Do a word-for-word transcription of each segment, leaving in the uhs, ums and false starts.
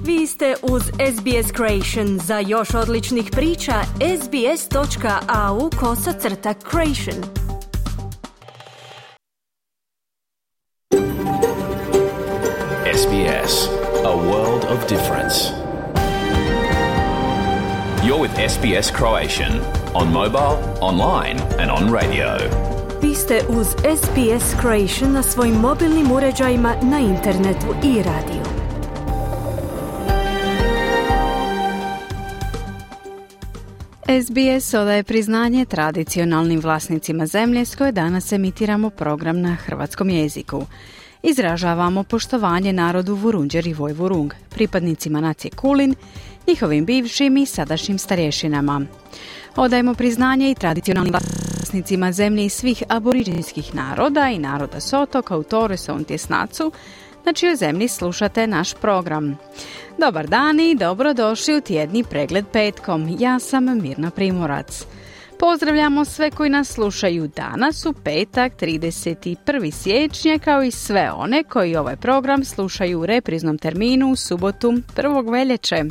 Vi ste uz S B S Creation. Za još odličnih priča, sbs.au kosacrta creation. S B S, a world of difference. You're with S B S Croatian, on mobile, online and on radio. Vi ste uz S B S Creation na svojim mobilnim uređajima, na internetu i radiju. S B S odaje priznanje tradicionalnim vlasnicima zemlje s koje danas emitiramo program na hrvatskom jeziku. Izražavamo poštovanje narodu Vurundjer i Vojvurung, pripadnicima nacije Kulin, njihovim bivšim i sadašnjim starješinama. Odajemo priznanje i tradicionalnim vlasnicima zemlje i svih aboriđinskih naroda i naroda s otoka u Torreson Tjesnacu, na čijoj zemlji slušate naš program. Dobar dan i dobrodošli u tjedni pregled petkom. Ja sam Mirna Primorac. Pozdravljamo sve koji nas slušaju danas u petak trideset prvog siječnja, kao i sve one koji ovaj program slušaju u repriznom terminu u subotu prvog veljače.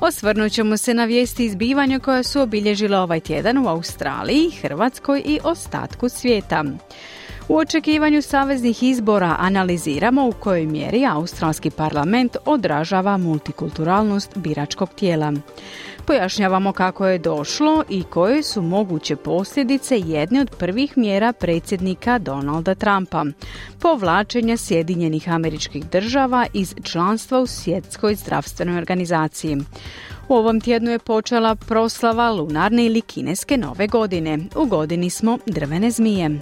Osvrnut ćemo se na vijesti i zbivanja koja su obilježila ovaj tjedan u Australiji, Hrvatskoj i ostatku svijeta. U očekivanju saveznih izbora analiziramo u kojoj mjeri australski parlament odražava multikulturalnost biračkog tijela. Pojašnjavamo kako je došlo i koje su moguće posljedice jedne od prvih mjera predsjednika Donalda Trumpa, povlačenja Sjedinjenih Američkih Država iz članstva u Svjetskoj zdravstvenoj organizaciji. U ovom tjednu je počela proslava lunarne ili kineske nove godine. U godini smo drvene zmije.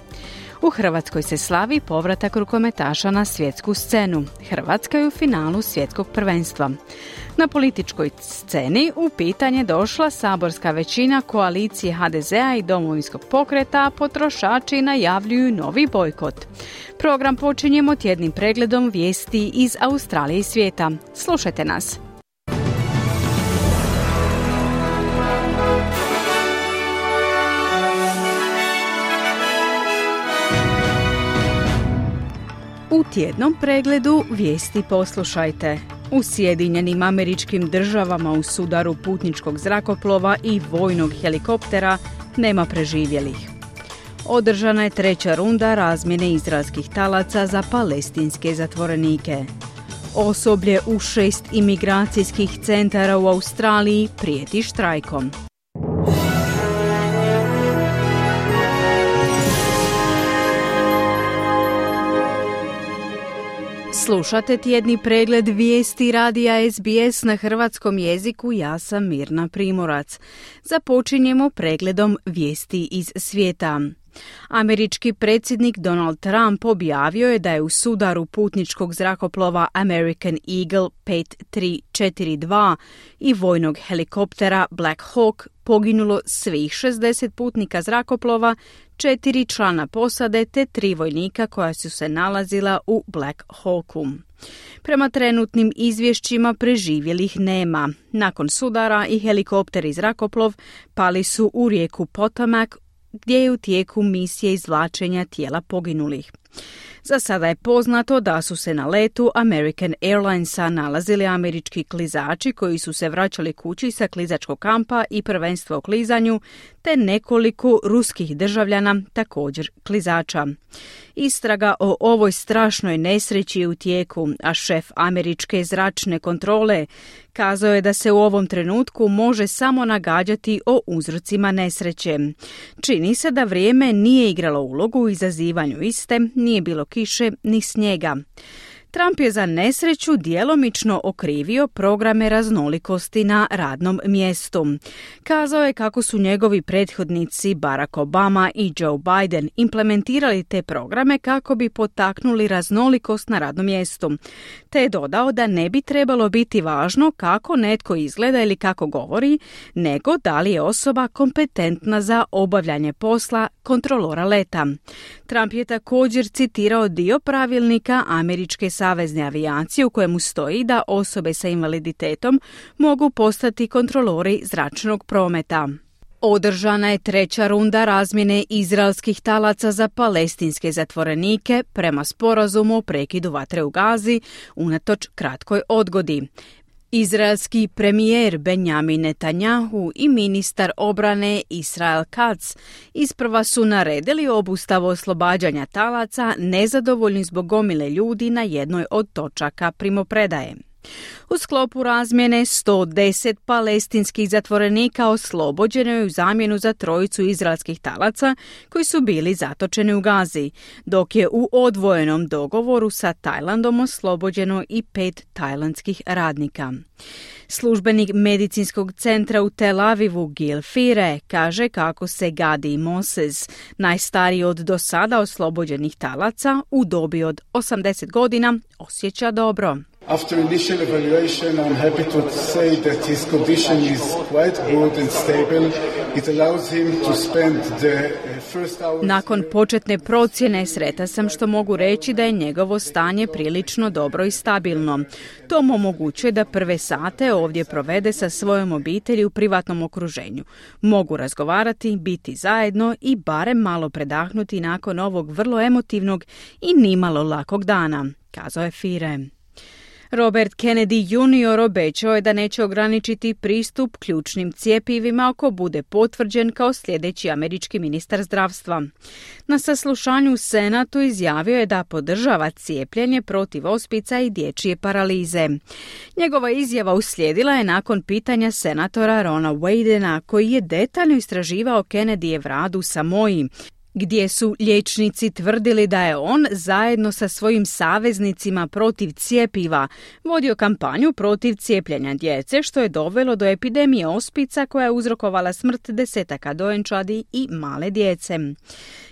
U Hrvatskoj se slavi povratak rukometaša na svjetsku scenu. Hrvatska je u finalu svjetskog prvenstva. Na političkoj sceni u pitanje došla saborska većina koalicije H D Z-a i Domovinskog pokreta, a potrošači najavljuju novi bojkot. Program počinjemo tjednim pregledom vijesti iz Australije i svijeta. Slušajte nas. U tjednom pregledu vijesti poslušajte. U Sjedinjenim Američkim Državama u sudaru putničkog zrakoplova i vojnog helikoptera nema preživjelih. Održana je treća runda razmjene izraelskih talaca za palestinske zatvorenike. Osoblje u šest imigracijskih centara u Australiji prijeti štrajkom. Slušate tjedni pregled vijesti radija S B S na hrvatskom jeziku, ja sam Mirna Primorac. Započinjemo pregledom vijesti iz svijeta. Američki predsjednik Donald Trump objavio je da je u sudaru putničkog zrakoplova American Eagle pet tri četiri dva i vojnog helikoptera Black Hawk poginulo svih šezdeset putnika zrakoplova, četiri člana posade te tri vojnika koja su se nalazila u Black Hawku. Prema trenutnim izvješćima preživjelih nema. Nakon sudara i helikopter i zrakoplov pali su u rijeku Potomac, gdje je u tijeku misije izvlačenja tijela poginulih. Za sada je poznato da su se na letu American Airlinesa nalazili američki klizači koji su se vraćali kući sa klizačkog kampa i prvenstva u klizanju, te nekoliko ruskih državljana, također klizača. Istraga o ovoj strašnoj nesreći je u tijeku, a šef američke zračne kontrole kazao je da se u ovom trenutku može samo nagađati o uzrocima nesreće. Čini se da vrijeme nije igralo ulogu u izazivanju iste, nije bilo kiše ni snijega. Trump je za nesreću djelomično okrivio programe raznolikosti na radnom mjestu. Kazao je kako su njegovi prethodnici Barack Obama i Joe Biden implementirali te programe kako bi potaknuli raznolikost na radnom mjestu. Te je dodao da ne bi trebalo biti važno kako netko izgleda ili kako govori, nego da li je osoba kompetentna za obavljanje posla kontrolora leta. Trump je također citirao dio pravilnika američke savezne avijacije u kojemu stoji da osobe sa invaliditetom mogu postati kontrolori zračnog prometa. Održana je treća runda razmjene izraelskih talaca za palestinske zatvorenike prema sporazumu o prekidu vatre u Gazi unatoč kratkoj odgodi. Izraelski premijer Benjamin Netanjahu i ministar obrane Israel Katz isprva su naredili obustavu oslobađanja talaca nezadovoljni zbog gomile ljudi na jednoj od točaka primopredaje. U sklopu razmjene sto deset palestinskih zatvorenika oslobođeno je u zamjenu za trojicu izraelskih talaca koji su bili zatočeni u Gazi, dok je u odvojenom dogovoru sa Tajlandom oslobođeno i pet tajlandskih radnika. Službenik medicinskog centra u Tel Avivu Gil Fire kaže kako se Gadi Moses, najstariji od do sada oslobođenih talaca u dobi od osamdeset godina, osjeća dobro. After initial evaluation, I'm happy to say that his condition is quite good and stable. It allows him to spend the first hours... Nakon početne procjene sretan sam što mogu reći da je njegovo stanje prilično dobro i stabilno. To mu omogućuje da prve sate ovdje provede sa svojom obitelji u privatnom okruženju. Mogu razgovarati, biti zajedno i barem malo predahnuti nakon ovog vrlo emotivnog i nimalo lakog dana, kazao je Fire. Robert Kennedy junior obećao je da neće ograničiti pristup ključnim cjepivima ako bude potvrđen kao sljedeći američki ministar zdravstva. Na saslušanju u Senatu izjavio je da podržava cijepljenje protiv ospica i dječje paralize. Njegova izjava uslijedila je nakon pitanja senatora Rona Wadena, koji je detaljno istraživao Kennedyjev rad u Samoji, gdje su liječnici tvrdili da je on zajedno sa svojim saveznicima protiv cjepiva vodio kampanju protiv cijepljenja djece, što je dovelo do epidemije ospica koja je uzrokovala smrt desetaka dojenčadi i male djece.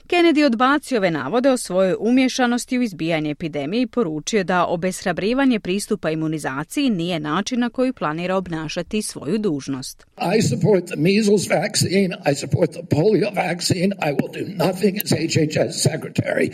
Kennedy odbacio ove navode o svojoj umješanosti u izbijanje epidemije i poručio da obeshrabrivanje pristupa imunizaciji nije način na koji planira obnašati svoju dužnost. I support the measles vaccine, I support the polio vaccine, I will do nothing as H H S secretary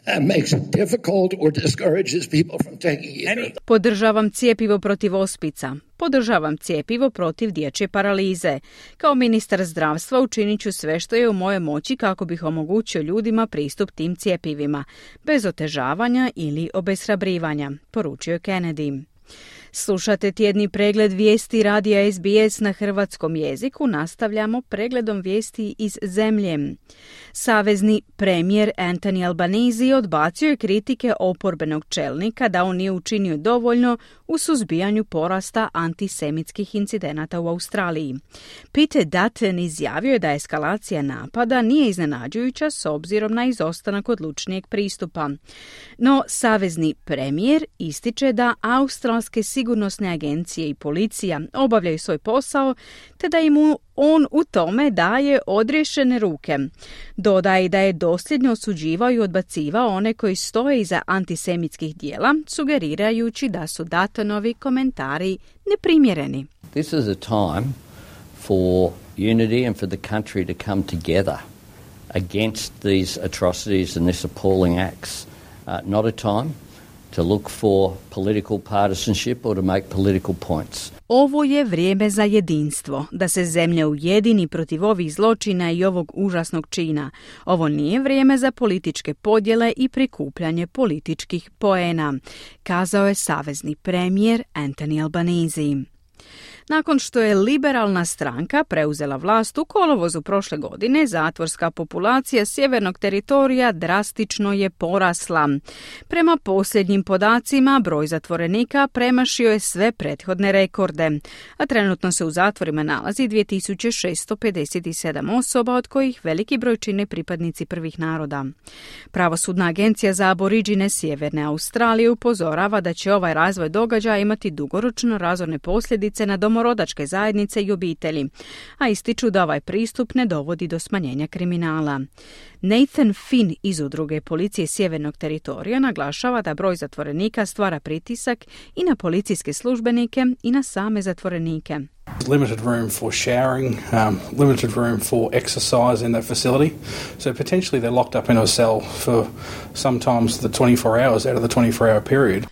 that makes it difficult or discourages people from taking either. Podržavam cjepivo protiv ospica. Podržavam cjepivo protiv dječje paralize. Kao ministar zdravstva učinit ću sve što je u moje moći kako bih omogućio ljudima pristup tim cjepivima, bez otežavanja ili obeshrabrivanja, poručio je Kennedy. Slušate tjedni pregled vijesti radija S B S na hrvatskom jeziku. Nastavljamo pregledom vijesti iz zemlje. Savezni premijer Anthony Albanese odbacio je kritike oporbenog čelnika da on nije učinio dovoljno u suzbijanju porasta antisemitskih incidenata u Australiji. Peter Dutton izjavio je da eskalacija napada nije iznenađujuća s obzirom na izostanak odlučnijeg pristupa. No, savezni premijer ističe da australske sigurnosne agencije i policija obavljaju svoj posao, te da im on u tome daje odriješene ruke. Dodaje da je dosljedno osuđivao i odbacivao one koji stoje iza antisemitskih dijela, sugerirajući da su Duttonovi komentari neprimjereni. This is a time for unity and for the country to come together against these atrocities and these appalling acts. Uh, not a time to look for political partisanship or to make political points. Ovo je vrijeme za jedinstvo, da se zemlja ujedini protiv ovih zločina i ovog užasnog čina. Ovo nije vrijeme za političke podjele i prikupljanje političkih poena, kazao je savezni premijer Anthony Albanese. Nakon što je liberalna stranka preuzela vlast u kolovozu prošle godine, zatvorska populacija sjevernog teritorija drastično je porasla. Prema posljednjim podacima, broj zatvorenika premašio je sve prethodne rekorde, a trenutno se u zatvorima nalazi dvije tisuće šesto pedeset sedam osoba, od kojih veliki broj čine pripadnici prvih naroda. Pravosudna agencija za aboriđine Sjeverne Australije upozorava da će ovaj razvoj događaja imati dugoročno razorne posljedice na domorodačke zajednice i obitelji, a ističu da ovaj pristup ne dovodi do smanjenja kriminala. Nathan Finn iz udruge policije sjevernog teritorija naglašava da broj zatvorenika stvara pritisak i na policijske službenike i na same zatvorenike. Limited room for showering, um, limited room for exercise in that facility. So potentially they're locked up in a cell for sometimes the twenty-four hours out of the twenty-four hour period.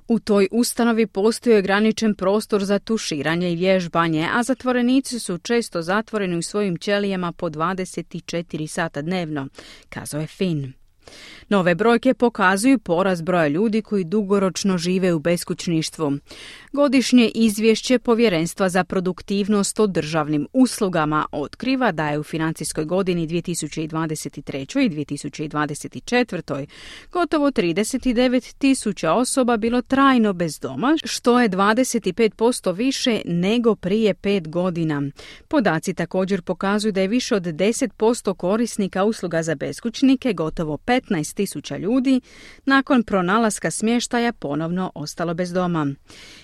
U toj ustanovi postoji ograničen prostor za tuširanje i vježbanje, a zatvorenici su često zatvoreni u svojim ćelijama po dvadeset četiri sata dnevno, kazao je Finn. Nove brojke pokazuju porast broja ljudi koji dugoročno žive u beskućništvu. Godišnje izvješće Povjerenstva za produktivnost o državnim uslugama otkriva da je u financijskoj godini dvije tisuće dvadeset treće. i dvije tisuće dvadeset četvrte. gotovo trideset devet tisuća osoba bilo trajno bez doma, što je dvadeset pet posto više nego prije pet godina. Podaci također pokazuju da je više od deset posto korisnika usluga za beskućnike, gotovo petnaest tisuća ljudi, nakon pronalaska smještaja ponovno ostalo bez doma.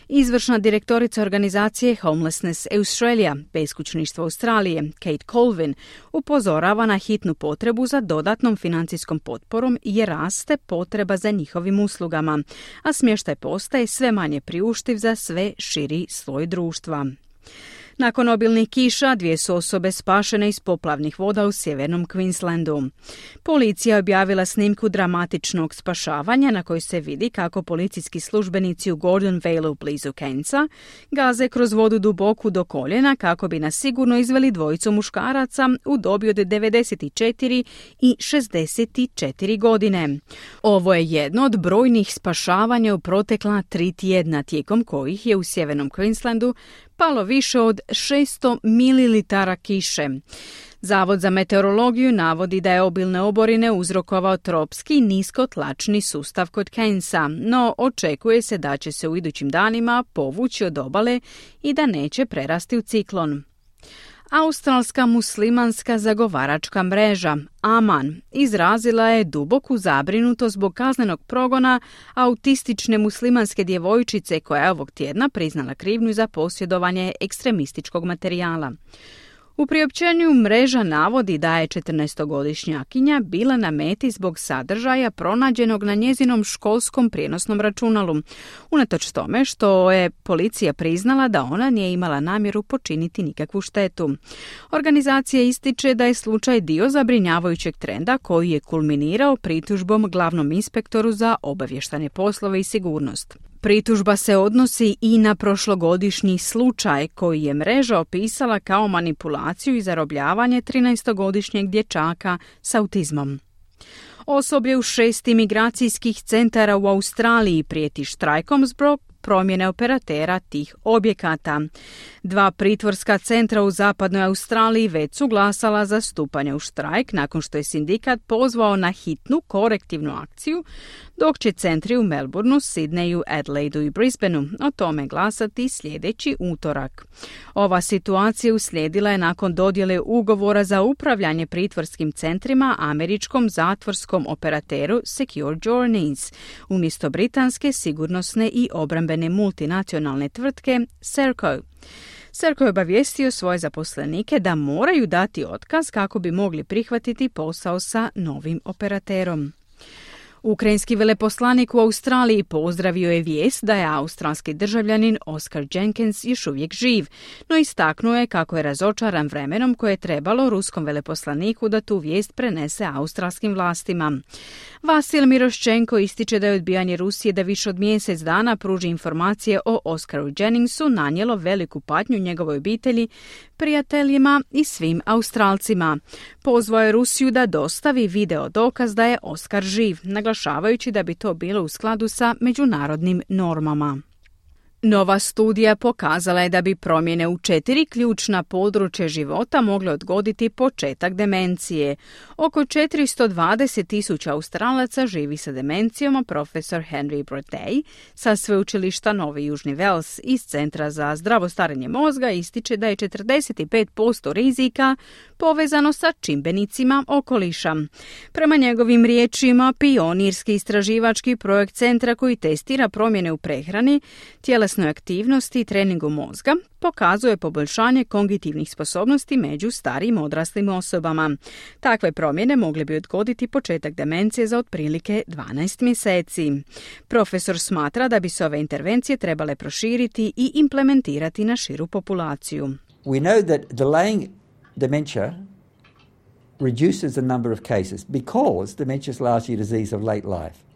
Izvršna direktorica organizacije Homelessness Australia, beskućništvo Australije, Kate Colvin, upozorava na hitnu potrebu za dodatnom financijskom potporom jer raste potreba za njihovim uslugama, a smještaj postaje sve manje priuštiv za sve širi sloj društva. Nakon obilnih kiša, dvije su osobe spašene iz poplavnih voda u sjevernom Queenslandu. Policija je objavila snimku dramatičnog spašavanja na kojoj se vidi kako policijski službenici u Gordon Valeu blizu Cairnsa gaze kroz vodu duboku do koljena kako bi nas sigurno izveli dvojicu muškaraca u dobi od devedeset četiri i šezdeset četiri godine. Ovo je jedno od brojnih spašavanja u protekla tri tjedna, tijekom kojih je u sjevernom Queenslandu palo više od šesto mililitara kiše. Zavod za meteorologiju navodi da je obilne oborine uzrokovao tropski niskotlačni sustav kod Cairnsa, no očekuje se da će se u idućim danima povući od obale i da neće prerasti u ciklon. Australska muslimanska zagovaračka mreža Aman izrazila je duboku zabrinutost zbog kaznenog progona autistične muslimanske djevojčice koja je ovog tjedna priznala krivnju za posjedovanje ekstremističkog materijala. U priopćenju mreža navodi da je četrnaestogodišnjakinja bila na meti zbog sadržaja pronađenog na njezinom školskom prijenosnom računalu, unatoč tome što je policija priznala da ona nije imala namjeru počiniti nikakvu štetu. Organizacija ističe da je slučaj dio zabrinjavajućeg trenda koji je kulminirao pritužbom glavnom inspektoru za obavještajne poslove i sigurnost. Pritužba se odnosi i na prošlogodišnji slučaj koji je mreža opisala kao manipulaciju i zarobljavanje trinaestogodišnjeg dječaka s autizmom. Osoblje u šest imigracijskih centara u Australiji prijeti štrajkom zbog promjene operatera tih objekata. Dva pritvorska centra u zapadnoj Australiji već su glasala za stupanje u štrajk nakon što je sindikat pozvao na hitnu korektivnu akciju, dok će centri u Melbourneu, Sydneyu, Adelaidu i Brisbaneu o tome glasati sljedeći utorak. Ova situacija uslijedila je nakon dodjele ugovora za upravljanje pritvorskim centrima američkom zatvorskom operateru Secure Journeys, umjesto britanske sigurnosne i obrambene multinacionalne tvrtke Serco. Serco je obavijestio svoje zaposlenike da moraju dati otkaz kako bi mogli prihvatiti posao sa novim operaterom. Ukrajinski veleposlanik u Australiji pozdravio je vijest da je australski državljanin Oscar Jenkins još uvijek živ, no istaknuo je kako je razočaran vremenom koje je trebalo ruskom veleposlaniku da tu vijest prenese australskim vlastima. Vasil Miroščenko ističe da je odbijanje Rusije da više od mjesec dana pruži informacije o Oscaru Jenningsu nanijelo veliku patnju njegovoj obitelji, prijateljima i svim Australcima. Pozvao je Rusiju da dostavi video dokaz da je Oscar živ, naglašavajući da bi to bilo u skladu sa međunarodnim normama. Nova studija pokazala je da bi promjene u četiri ključna područja života mogle odgoditi početak demencije. Oko četiristo dvadeset tisuća Australaca živi sa demencijom, a profesor Henry Brodej sa sveučilišta Novi Južni Vels iz Centra za zdravo starenje mozga ističe da je četrdeset pet posto rizika povezano sa čimbenicima okoliša. Prema njegovim riječima, pionirski istraživački projekt centra koji testira promjene u prehrani, tjelesnoj aktivnosti i treningu mozga pokazuje poboljšanje kognitivnih sposobnosti među starijim odraslim osobama. Takve promjene mogle bi odgoditi početak demencije za otprilike dvanaest mjeseci. Profesor smatra da bi se ove intervencije trebale proširiti i implementirati na širu populaciju. We know that delaying dementia reduces the number of cases because dementia is largely a disease of late life.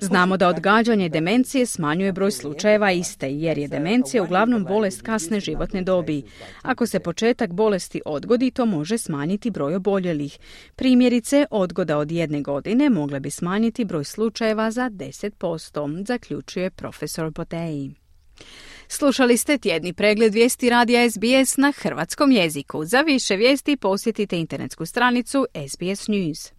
Znamo da odgađanje demencije smanjuje broj slučajeva iste, jer je demencija uglavnom bolest kasne životne dobi. Ako se početak bolesti odgodi, to može smanjiti broj oboljelih. Primjerice, odgoda od jedne godine mogla bi smanjiti broj slučajeva za deset posto, zaključuje profesor Boteji. Slušali ste tjedni pregled vijesti radija S B S na hrvatskom jeziku. Za više vijesti posjetite internetsku stranicu S B S News.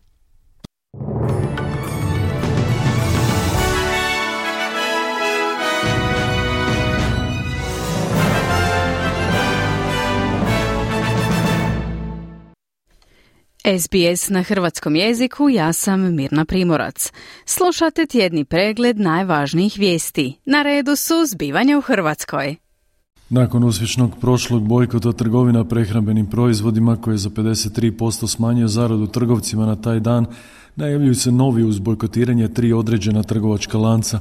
S B S na hrvatskom jeziku, ja sam Mirna Primorac. Slušate tjedni pregled najvažnijih vijesti. Na redu su zbivanja u Hrvatskoj. Nakon uspješnog prošlog bojkota trgovina prehrambenim proizvodima koji je za pedeset tri posto smanjio zaradu trgovcima na taj dan, najavljuju se novi uz bojkotiranje tri određena trgovačka lanca.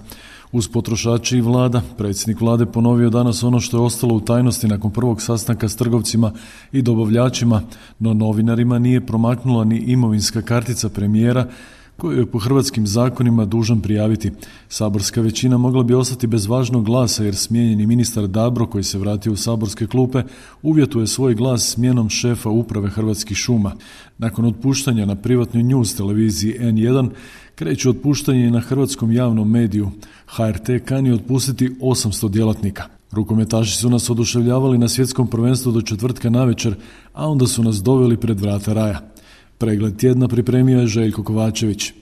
Uz potrošači i vlada, predsjednik vlade ponovio danas ono što je ostalo u tajnosti nakon prvog sastanka s trgovcima i dobavljačima, no novinarima nije promaknula ni imovinska kartica premijera koju je po hrvatskim zakonima dužan prijaviti. Saborska većina mogla bi ostati bez važnog glasa jer smijenjeni ministar Dabro, koji se vratio u saborske klupe, uvjetuje svoj glas smjenom šefa uprave Hrvatskih šuma. Nakon otpuštanja na privatnoj news televiziji N jedan, kreće otpuštanje i na hrvatskom javnom mediju. H R T kani otpustiti osamsto djelatnika. Rukometaši su nas oduševljavali na svjetskom prvenstvu do četvrtka navečer, a onda su nas doveli pred vrata raja. Pregled tjedna pripremio je Željko Kovačević.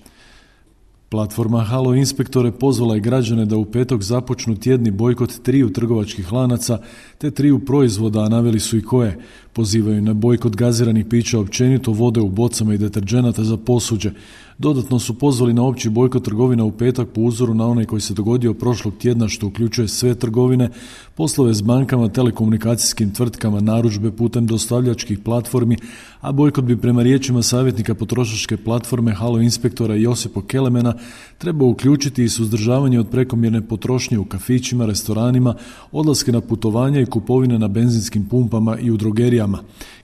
Platforma Halo Inspektore pozvala je građane da u petak započnu tjedni bojkot triju trgovačkih lanaca te triju proizvoda, a naveli su i koje. Pozivaju na bojkot gaziranih pića općenito, vode u bocama i deterdženata za posuđe. Dodatno su pozvali na opći bojkot trgovina u petak po uzoru na onaj koji se dogodio prošlog tjedna, što uključuje sve trgovine, poslove s bankama, telekomunikacijskim tvrtkama, narudžbe putem dostavljačkih platformi, a bojkot bi prema riječima savjetnika potrošačke platforme Halo Inspektora Josipa Kelemena treba uključiti i suzdržavanje od prekomjerne potrošnje u kafićima, restoranima, odlaske na putovanja i kupovine na benzinskim pumpama i u drogerijama.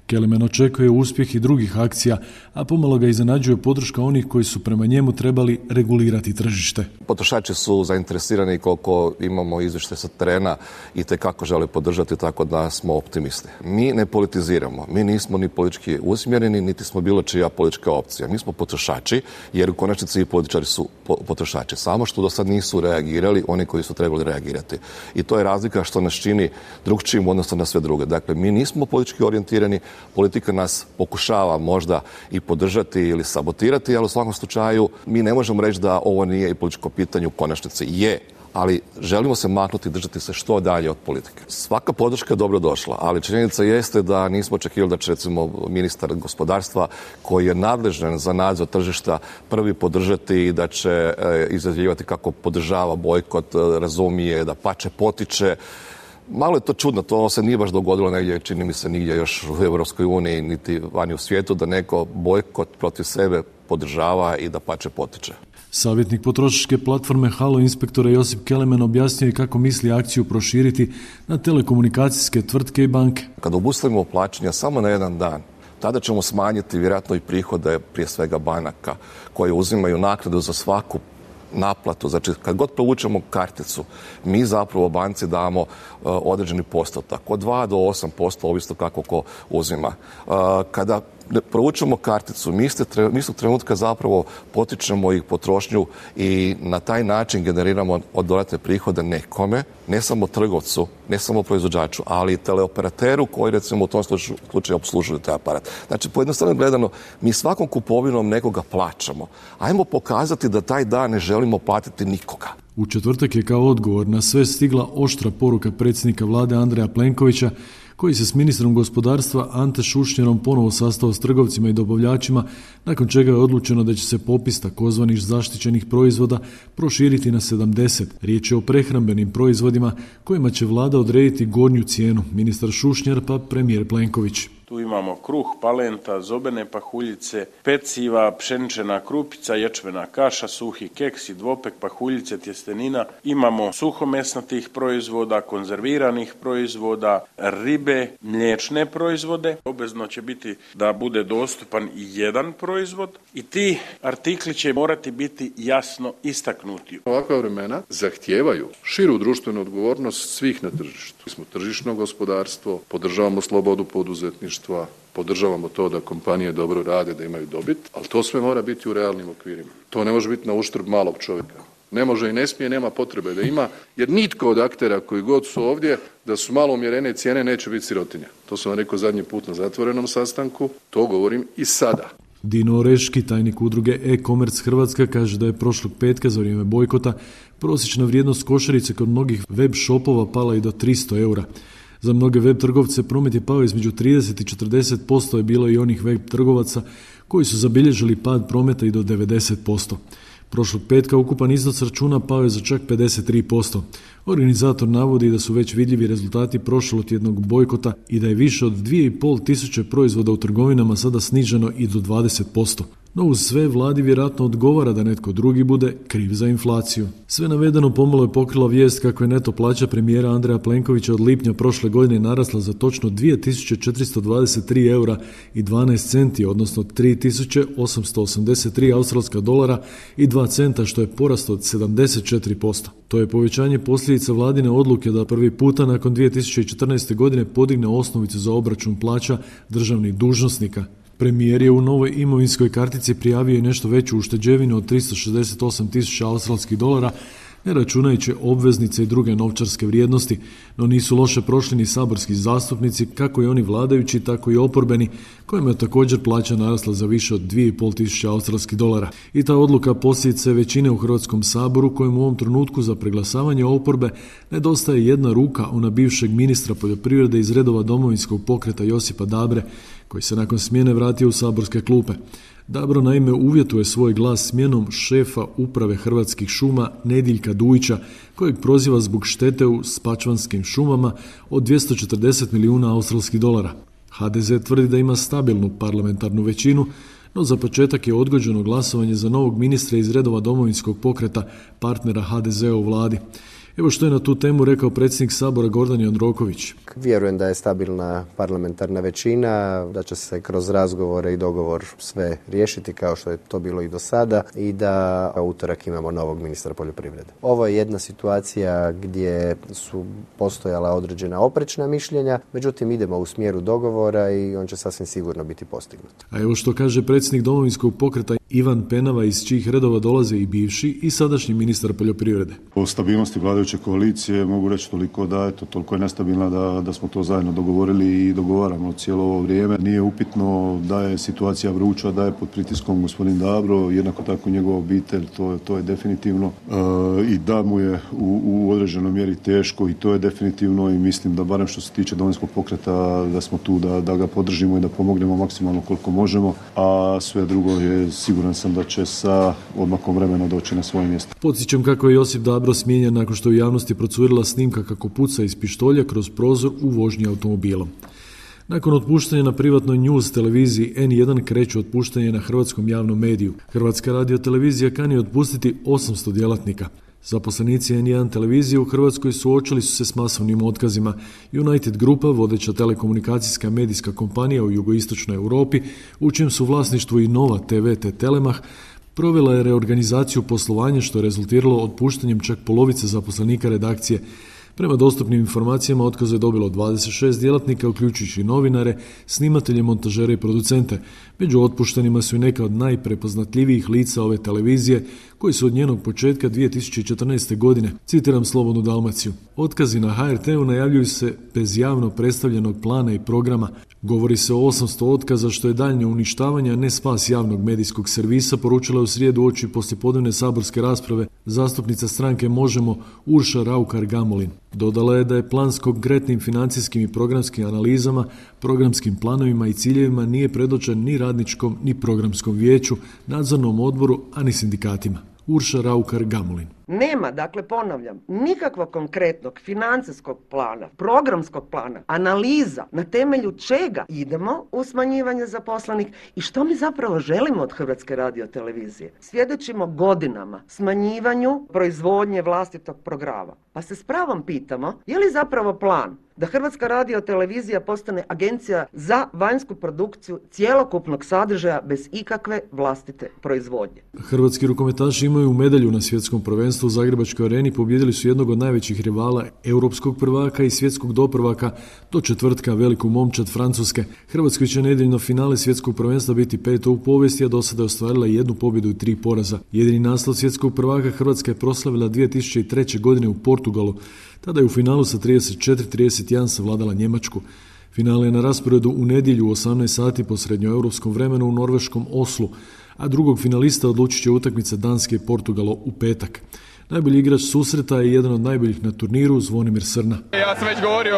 Kelemen očekuje uspjeh i drugih akcija, a pomalo ga iznenađuje podrška onih koji su prema njemu trebali regulirati tržište. Potrošači su zainteresirani, koliko imamo izvještaje sa terena i tekako žele podržati, tako da smo optimisti. Mi ne politiziramo, mi nismo ni politički usmjereni, niti smo bilo čija politička opcija. Mi smo potrošači, jer u konačnici i političari su potrošači. Samo što do sad nisu reagirali oni koji su trebali reagirati. I to je razlika što nas čini drugčijim u odnosu na sve druge. Dakle, mi nismo politički orijentirani, politika nas pokušava možda i podržati ili sabotirati, ali u svakom slučaju mi ne možemo reći da ovo nije i političko pitanje, u konačnici je, ali želimo se maknuti i držati se što dalje od politike. Svaka podrška je dobro došla, ali činjenica jeste da nismo očekivali da će recimo ministar gospodarstva, koji je nadležan za nadzor tržišta, prvi podržati i da će e, izjavljivati kako podržava bojkot, razumije, da pače potiče. Malo je to čudno, to se nije baš dogodilo negdje, čini mi se nigdje još u Europskoj uniji, niti vani u svijetu, da neko bojkot protiv sebe podržava i da pače potiče. Savjetnik potrošačke platforme Halo Inspektora Josip Kelemen objasnio je kako misli akciju proširiti na telekomunikacijske tvrtke i banke. Kada obustavimo plaćanja samo na jedan dan, tada ćemo smanjiti vjerojatno i prihode prije svega banaka koje uzimaju naknadu za svaku naplatu. Znači, kad god provučemo karticu, mi zapravo banci damo uh, određeni postotak, od dva do osam posto, ovisno kako ko uzima. Uh, kada provučemo karticu, mi istog trenutka zapravo potičemo ih potrošnju i na taj način generiramo dodatne prihode nekome, ne samo trgovcu, ne samo proizvođaču, ali i teleoperateru koji recimo u tom slučaju obslužuje taj aparat. Znači, pojednostavno gledano, mi svakom kupovinom nekoga plaćamo. Ajmo pokazati da taj dan ne želimo platiti nikoga. U četvrtak je kao odgovor na sve stigla oštra poruka predsjednika vlade Andreja Plenkovića, koji se s ministrom gospodarstva Ante Šušnjarom ponovo sastao s trgovcima i dobavljačima, nakon čega je odlučeno da će se popis takozvanih zaštićenih proizvoda proširiti na sedamdeset. Riječ je o prehrambenim proizvodima kojima će vlada odrediti gornju cijenu, ministar Šušnjar pa premijer Plenković. Tu imamo kruh, palenta, zobene pahuljice, peciva, pšenična krupica, ječmena kaša, suhi keksi, dvopek, pahuljice, tjestenina. Imamo suhomesnatih proizvoda, konzerviranih proizvoda, ribe, mliječne proizvode. Obvezno će biti da bude dostupan i jedan proizvod i ti artikli će morati biti jasno istaknuti. Ovakva vremena zahtijevaju širu društvenu odgovornost svih na tržištu. Mi smo tržišno gospodarstvo, podržavamo slobodu poduzetništva, podržavamo to da kompanije dobro rade, da imaju dobit, ali to sve mora biti u realnim okvirima. To ne može biti na uštrb malog čovjeka. Ne može i ne smije, nema potrebe da ima, jer nitko od aktera koji god su ovdje, da su malo umjerene cijene, neće biti sirotinja. To sam vam rekao zadnji put na zatvorenom sastanku, to govorim i sada. Dino Oreški, tajnik udruge e-commerce Hrvatska, kaže da je prošlog petka za vrijeme bojkota prosječna vrijednost košarice kod mnogih web shopova pala i do tristo eura. Za mnoge web trgovce promet je pao između trideset i četrdeset posto, je bilo i onih web trgovaca koji su zabilježili pad prometa i do devedeset posto. Prošlog petka ukupan iznos računa pao je za čak pedeset tri posto. Organizator navodi da su već vidljivi rezultati prošlotjednog bojkota i da je više od dvije i pol tisuće proizvoda u trgovinama sada sniženo i do dvadeset posto. No uz sve vladi vjerojatno odgovara da netko drugi bude kriv za inflaciju. Sve navedeno pomalo je pokrila vijest kako je neto plaća premijera Andreja Plenkovića od lipnja prošle godine narasla za točno dvije tisuće četiristo dvadeset tri eura i dvanaest centi, odnosno tri tisuće osamsto osamdeset tri australska dolara i dva centa, što je porast od sedamdeset četiri posto. To je povećanje posljedica vladine odluke da prvi puta nakon dvije tisuće četrnaeste. godine podigne osnovicu za obračun plaća državnih dužnosnika. Premijer je u novoj imovinskoj kartici prijavio i nešto veću ušteđevinu od tristo šezdeset osam tisuća australskih dolara, ne računajući obveznice i druge novčarske vrijednosti, no nisu loše prošli ni saborski zastupnici, kako i oni vladajući, tako i oporbeni, kojima je također plaća narasla za više od dvije i pol tisuće australskih dolara. I ta odluka posljedica većine u Hrvatskom saboru, kojem u ovom trenutku za preglasavanje oporbe nedostaje jedna ruka, ona bivšeg ministra poljoprivrede iz redova Domovinskog pokreta Josipa Dabre, koji se nakon smjene vratio u saborske klupe. Dabro naime uvjetuje svoj glas smjenom šefa uprave Hrvatskih šuma Nediljka Dujića, kojeg proziva zbog štete u spačvanskim šumama od dvjesto četrdeset milijuna australskih dolara. ha de ze tvrdi da ima stabilnu parlamentarnu većinu, no za početak je odgođeno glasovanje za novog ministra iz redova Domovinskog pokreta, partnera ha de ze u vladi. Evo što je na tu temu rekao predsjednik Sabora Gordan Jandroković. Vjerujem da je stabilna parlamentarna većina, da će se kroz razgovore i dogovor sve riješiti kao što je to bilo i do sada i da u utorak imamo novog ministra poljoprivrede. Ovo je jedna situacija gdje su postojala određena oprečna mišljenja, međutim idemo u smjeru dogovora i on će sasvim sigurno biti postignut. A evo što kaže predsjednik Domovinskog pokreta Ivan Penava, iz čijih redova dolaze i bivši i sadašnji ministar poljoprivrede. O stabilnosti vladajuće koalicije mogu reći toliko da eto, toliko je nestabilna da, da smo to zajedno dogovorili i dogovaramo cijelo ovo vrijeme. Nije upitno da je situacija vruća, da je pod pritiskom gospodin Dabro, jednako tako njegova obitelj, to, to je definitivno e, i da mu je u, u određenoj mjeri teško i to je definitivno i mislim da barem što se tiče Domovinskog pokreta da smo tu da, da ga podržimo i da pomognemo maksimalno koliko možemo, a sve drugo je siguran sam da će sa odmakom vremena doći na svoje mjesto. Podsjećam kako je Josip Dabro smijenjen nakon što u javnosti procurila snimka kako puca iz pištolja kroz prozor u vožnji automobilom. Nakon otpuštanja na privatnoj news televiziji en jedan kreću otpuštanje na hrvatskom javnom mediju. Hrvatska radiotelevizija kani otpustiti osamsto djelatnika. Zaposlenici en jedan televizije u Hrvatskoj suočili su se s masovnim otkazima. United Grupa, vodeća telekomunikacijska medijska kompanija u jugoistočnoj Europi, u čijem su vlasništvu i Nova te ve te Telemach, provela je reorganizaciju poslovanja što je rezultiralo otpuštanjem čak polovice zaposlenika redakcije. Prema dostupnim informacijama otkaz je dobilo dvadeset šest djelatnika, uključujući novinare, snimatelje, montažere i producente. Među otpuštenima su i neka od najprepoznatljivijih lica ove televizije, koji su od njenog početka dvije tisuće četrnaeste. godine, citiram Slobodnu Dalmaciju. Otkazi na ha er te-u najavljuju se bez javno predstavljenog plana i programa. Govori se o osamsto otkaza, što je daljnje uništavanje, a ne spas javnog medijskog servisa, poručila u srijedu uoči poslijepodnevne saborske rasprave zastupnica stranke Možemo Urša Raukar-Gamulin. Dodala je da je plan s konkretnim financijskim i programskim analizama, programskim planovima i ciljevima nije predočen ni radničkom ni programskom vijeću, nadzornom odboru, a ni sindikatima. Urša Raukar-Gamulin. Nema, dakle ponavljam, nikakvog konkretnog financijskog plana, programskog plana, analiza na temelju čega idemo u smanjivanje zaposlenih i što mi zapravo želimo od Hrvatske radiotelevizije. Svjedočimo godinama smanjivanju proizvodnje vlastitog programa. Pa se s pravom pitamo, je li zapravo plan da Hrvatska radiotelevizija postane agencija za vanjsku produkciju cjelokupnog sadržaja bez ikakve vlastite proizvodnje. Hrvatski rukometaši imaju medalju na svjetskom prvenstvu u Zagrebačkoj areni, pobijedili su jednog od najvećih rivala europskog prvaka i svjetskog doprvaka do četvrtka veliku momčad Francuske. Hrvatskoj će nedjeljno finale svjetskog prvenstva biti peto u povijesti, a do sada je ostvarila jednu pobjedu i tri poraza. Jedini naslov svjetskog prvaka Hrvatska je proslavila dvije tisuće treće. godine u Portugalu. Tada je u finalu sa trideset četiri trideset jedan savladala Njemačku. Finale je na rasporedu u nedjelju u osamnaest sati po srednjoeuropskom vremenu u norveškom Oslu, a drugog finalista odlučit će utakmica Danske i Portugalo u petak. Najbolji igrač susreta je jedan od najboljih na turniru, Zvonimir Srna. Ja sam već govorio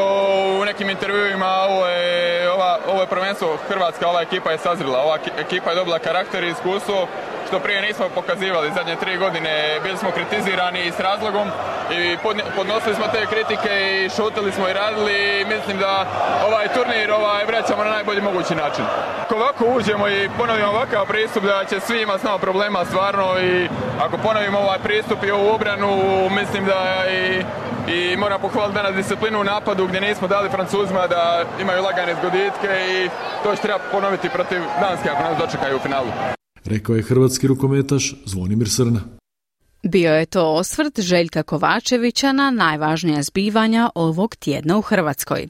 u nekim intervjuima, ovo je, ova, ovo je prvenstvo Hrvatska, ova ekipa je sazrela, ova ekipa je dobila karakter i iskustvo, što prije nismo pokazivali. Zadnje tri godine bili smo kritizirani s razlogom i podnosili smo te kritike i šutili smo i radili i mislim da ovaj turnir ovaj, vraćamo na najbolji mogući način. Ako ovako uđemo i ponovimo ovakav pristup, da će svi imati snao problema stvarno i ako ponovimo ovaj pristup i ovu obranu, mislim da i, i moram pohvaliti danas disciplinu u napadu gdje nismo dali Francuzima da imaju lagane zgoditke i to će treba ponoviti protiv Danske ako nas dočekaju u finalu. Rekao je hrvatski rukometaš Zvonimir Srna. Bio je to osvrt Željka Kovačevića na najvažnija zbivanja ovog tjedna u Hrvatskoj.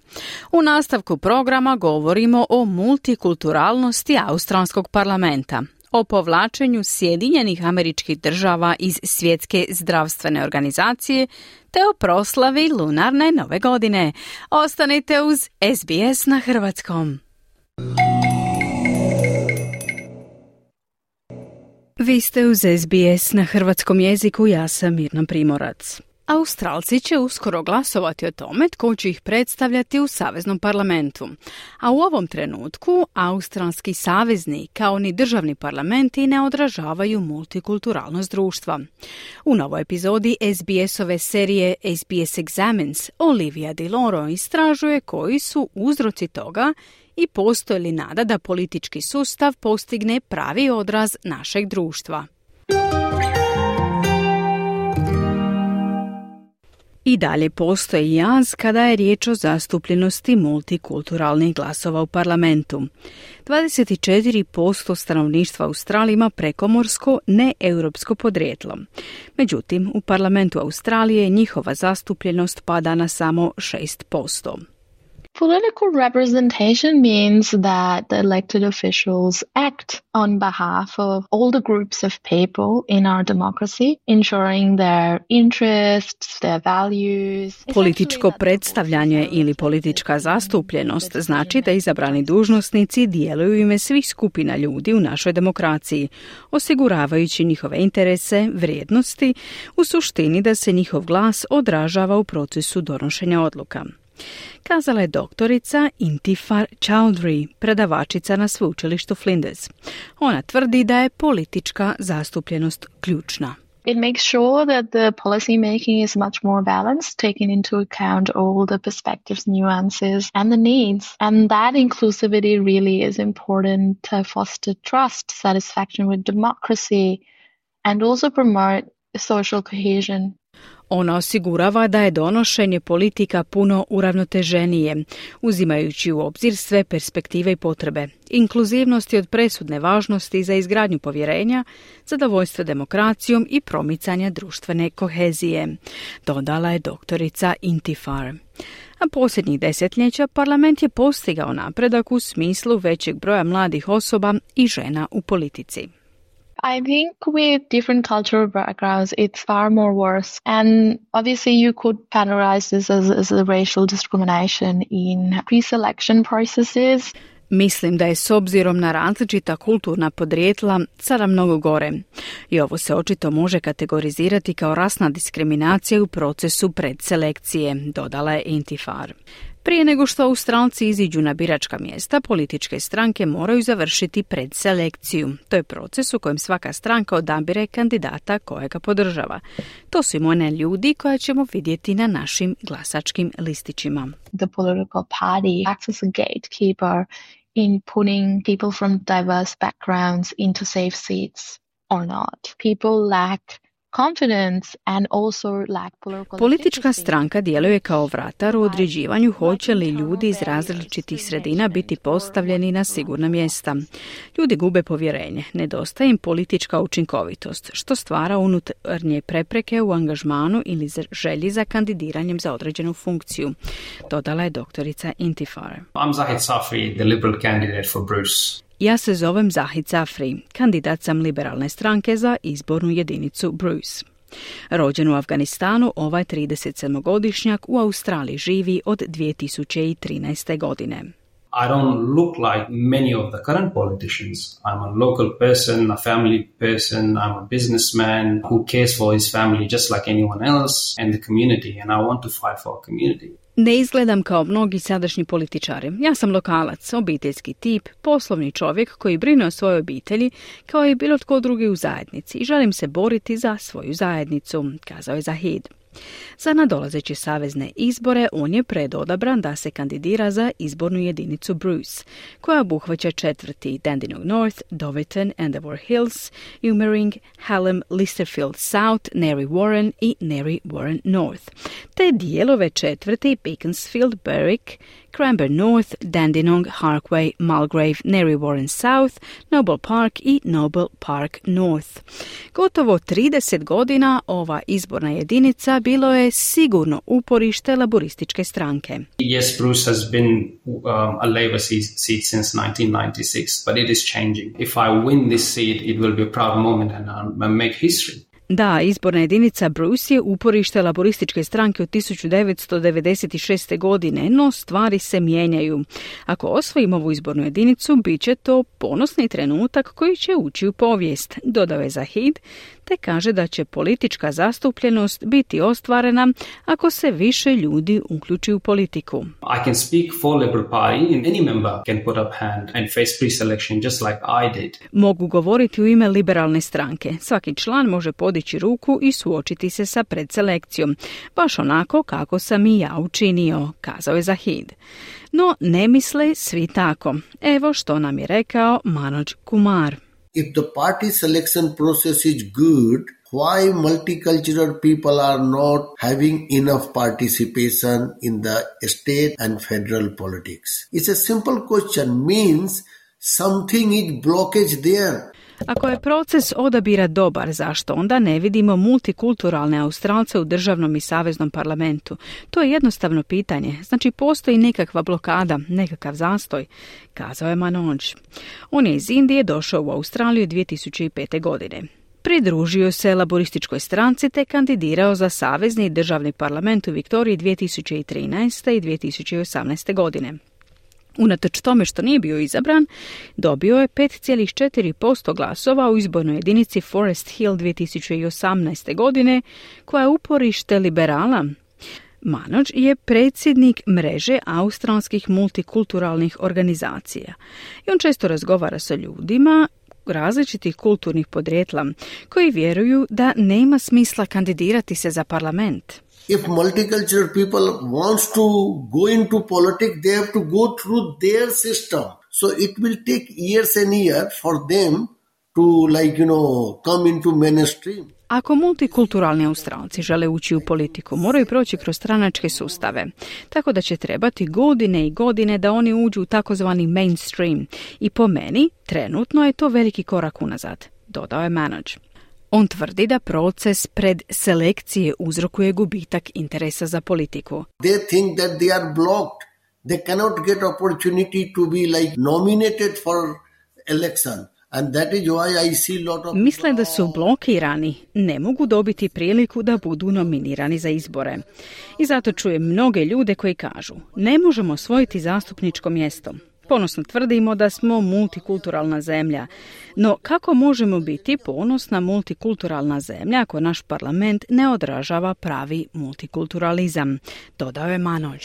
U nastavku programa govorimo o multikulturalnosti australskog parlamenta, o povlačenju Sjedinjenih Američkih Država iz Svjetske zdravstvene organizacije te o proslavi lunarne nove godine. Ostanite uz S B S na hrvatskom. Vi ste uz S B S na hrvatskom jeziku, ja sam Mirna Primorac. Australci će uskoro glasovati o tome tko će ih predstavljati u Saveznom parlamentu. A u ovom trenutku australski savezni kao ni državni parlamenti ne odražavaju multikulturalnost društva. U novoj epizodi S B S-ove serije S B S Examines Olivia Di Loro istražuje koji su uzroci toga i postoji li nada da politički sustav postigne pravi odraz našeg društva. I dalje postoji jaz kada je riječ o zastupljenosti multikulturalnih glasova u parlamentu. dvadeset četiri posto stanovništva Australije ima prekomorsko, neeuropsko podrijetlo. Međutim, u parlamentu Australije njihova zastupljenost pada na samo šest posto. Political representation means that the elected officials act on behalf of all the groups of people in our democracy, ensuring their interests, their values. Političko predstavljanje ili politička zastupljenost znači da izabrani dužnosnici djeluju u ime svih skupina ljudi u našoj demokraciji, osiguravajući njihove interese, vrijednosti, u suštini da se njihov glas odražava u procesu donošenja odluka. Kazala je doktorica Intifar Chowdhury, predavačica na sveučilištu Flinders. Ona tvrdi da je politička zastupljenost ključna. It makes sure that the policy making is much more balanced, taking into account all the perspectives, nuances and the needs. And that inclusivity really is important to foster trust, satisfaction with democracy and also promote social cohesion. Ona osigurava da je donošenje politika puno uravnoteženije, uzimajući u obzir sve perspektive i potrebe. Inkluzivnost je od presudne važnosti za izgradnju povjerenja, zadovoljstvo demokracijom i promicanje društvene kohezije, dodala je doktorica Intifar. A posljednjih desetljeća parlament je postigao napredak u smislu većeg broja mladih osoba i žena u politici. I think with different cultural backgrounds, it's far more worse. And obviously you could categorize this as, as a racial discrimination in pre-selection processes. Mislim da je s obzirom na različita kulturna podrijetla sada mnogo gore. I ovo se očito može kategorizirati kao rasna diskriminacija u procesu predselekcije, dodala je Intifar. Prije nego što Australci iziđu na biračka mjesta, političke stranke moraju završiti predselekciju. To je proces u kojem svaka stranka odabire kandidata kojega podržava. To su imena ljudi koja ćemo vidjeti na našim glasačkim listićima. The political party acts as a gatekeeper in putting people from diverse backgrounds into safe seats or not. People lack confidence and also lack political Politička stranka djeluje kao vratar u određivanju hoće li ljudi iz različitih sredina biti postavljeni na sigurna mjesta. Ljudi gube povjerenje, nedostaje im politička učinkovitost, što stvara unutarnje prepreke u angažmanu ili želji za kandidiranjem za određenu funkciju, dodala je doktorica Intifar. I'm Zahid Safri, the Liberal candidate for Bruce. Ja se zovem Zahid Safri, kandidat sam liberalne stranke za izbornu jedinicu Bruce. Rođen u Afganistanu, ovaj tridesetsedmogodišnjak u Australiji živi od dvije tisuće trinaeste. godine. I don't look like many of the current politicians. I'm a local person, a family person, I'm a businessman who cares for his family just like anyone else and the community, and I want to fight for our community. Ne izgledam kao mnogi sadašnji političari. Ja sam lokalac, obiteljski tip, poslovni čovjek koji brine o svojoj obitelji kao i bilo tko drugi u zajednici i želim se boriti za svoju zajednicu, kazao je Zahid. Za nadolazeće savezne izbore on je predodabran da se kandidira za izbornu jedinicu Bruce, koja obuhvaća četvrti Dandenong North, Doverton, Endeavour Hills, Umering, Hallam, Listerfield South, Narre Warren i Narre Warren North, te dijelove četvrti Beaconsfield, Berwick, Cranbourne North, Dandenong, Harkway, Mulgrave, Narre Warren South, Noble Park i Noble Park North. Gotovo trideset godina ova izborna jedinica bilo je sigurno uporište laborističke stranke. Yes, Bruce has been um, a Labour seat since nineteen ninety-six, but it is changing. If I win this seat, it will be a proud moment and I'll make history. Da, izborna jedinica Bruce je uporište laborističke stranke od tisuću devetsto devedeset šeste. godine, no stvari se mijenjaju. Ako osvojimo ovu izbornu jedinicu, bit će to ponosni trenutak koji će ući u povijest, dodao je Zahid, te kaže da će politička zastupljenost biti ostvarena ako se više ljudi uključi u politiku. I can speak for Liberal Party and any member can put up hand and face pre-selection just like I did. Mogu govoriti u ime liberalne stranke. Svaki član može podići ruku i suočiti se sa predselekcijom, baš onako kako sam i ja učinio, kazao je Zahid. No ne misle svi tako. Evo što nam je rekao Manoj Kumar. If the party selection process is good, why multicultural people are not having enough participation in the state and federal politics? It's a simple question, means something is blockage there. Ako je proces odabira dobar, zašto onda ne vidimo multikulturalne Australce u državnom i saveznom parlamentu? To je jednostavno pitanje. Znači, postoji nekakva blokada, nekakav zastoj, kazao je Manoj. On je iz Indije došao u Australiju dvije tisuće pete. godine. Pridružio se laborističkoj stranci te kandidirao za savezni i državni parlament u Viktoriji dvije tisuće trinaeste. i dvije tisuće osamnaeste. godine. Unatoč tome što nije bio izabran, dobio je pet zarez četiri posto glasova u izbornoj jedinici Forest Hill dvije tisuće osamnaeste. godine, koja je uporište liberala. Manoj je predsjednik mreže australskih multikulturalnih organizacija i on često razgovara sa ljudima različitih kulturnih podrijetla koji vjeruju da nema smisla kandidirati se za parlament. If multicultural people wants to go into politics, they have to go through their system. So it will take years and years for them to, like, you know, come into mainstream. Ako multikulturalni Australci žele ući u politiku, moraju proći kroz stranačke sustave, tako da će trebati godine i godine da oni uđu u takozvani mainstream. I po meni, trenutno je to veliki korak unazad, dodao je Manoj. On tvrdi da proces predselekcije uzrokuje gubitak interesa za politiku. They think that they are blocked. They cannot get opportunity to be like nominated for election. And that is why I see lot of... Misle da su blokirani, ne mogu dobiti priliku da budu nominirani za izbore. I zato čujem mnoge ljude koji kažu, ne možemo osvojiti zastupničko mjesto. Ponosno tvrdimo da smo multikulturalna zemlja, no kako možemo biti ponosna multikulturalna zemlja ako naš parlament ne odražava pravi multikulturalizam, dodao je Manoj.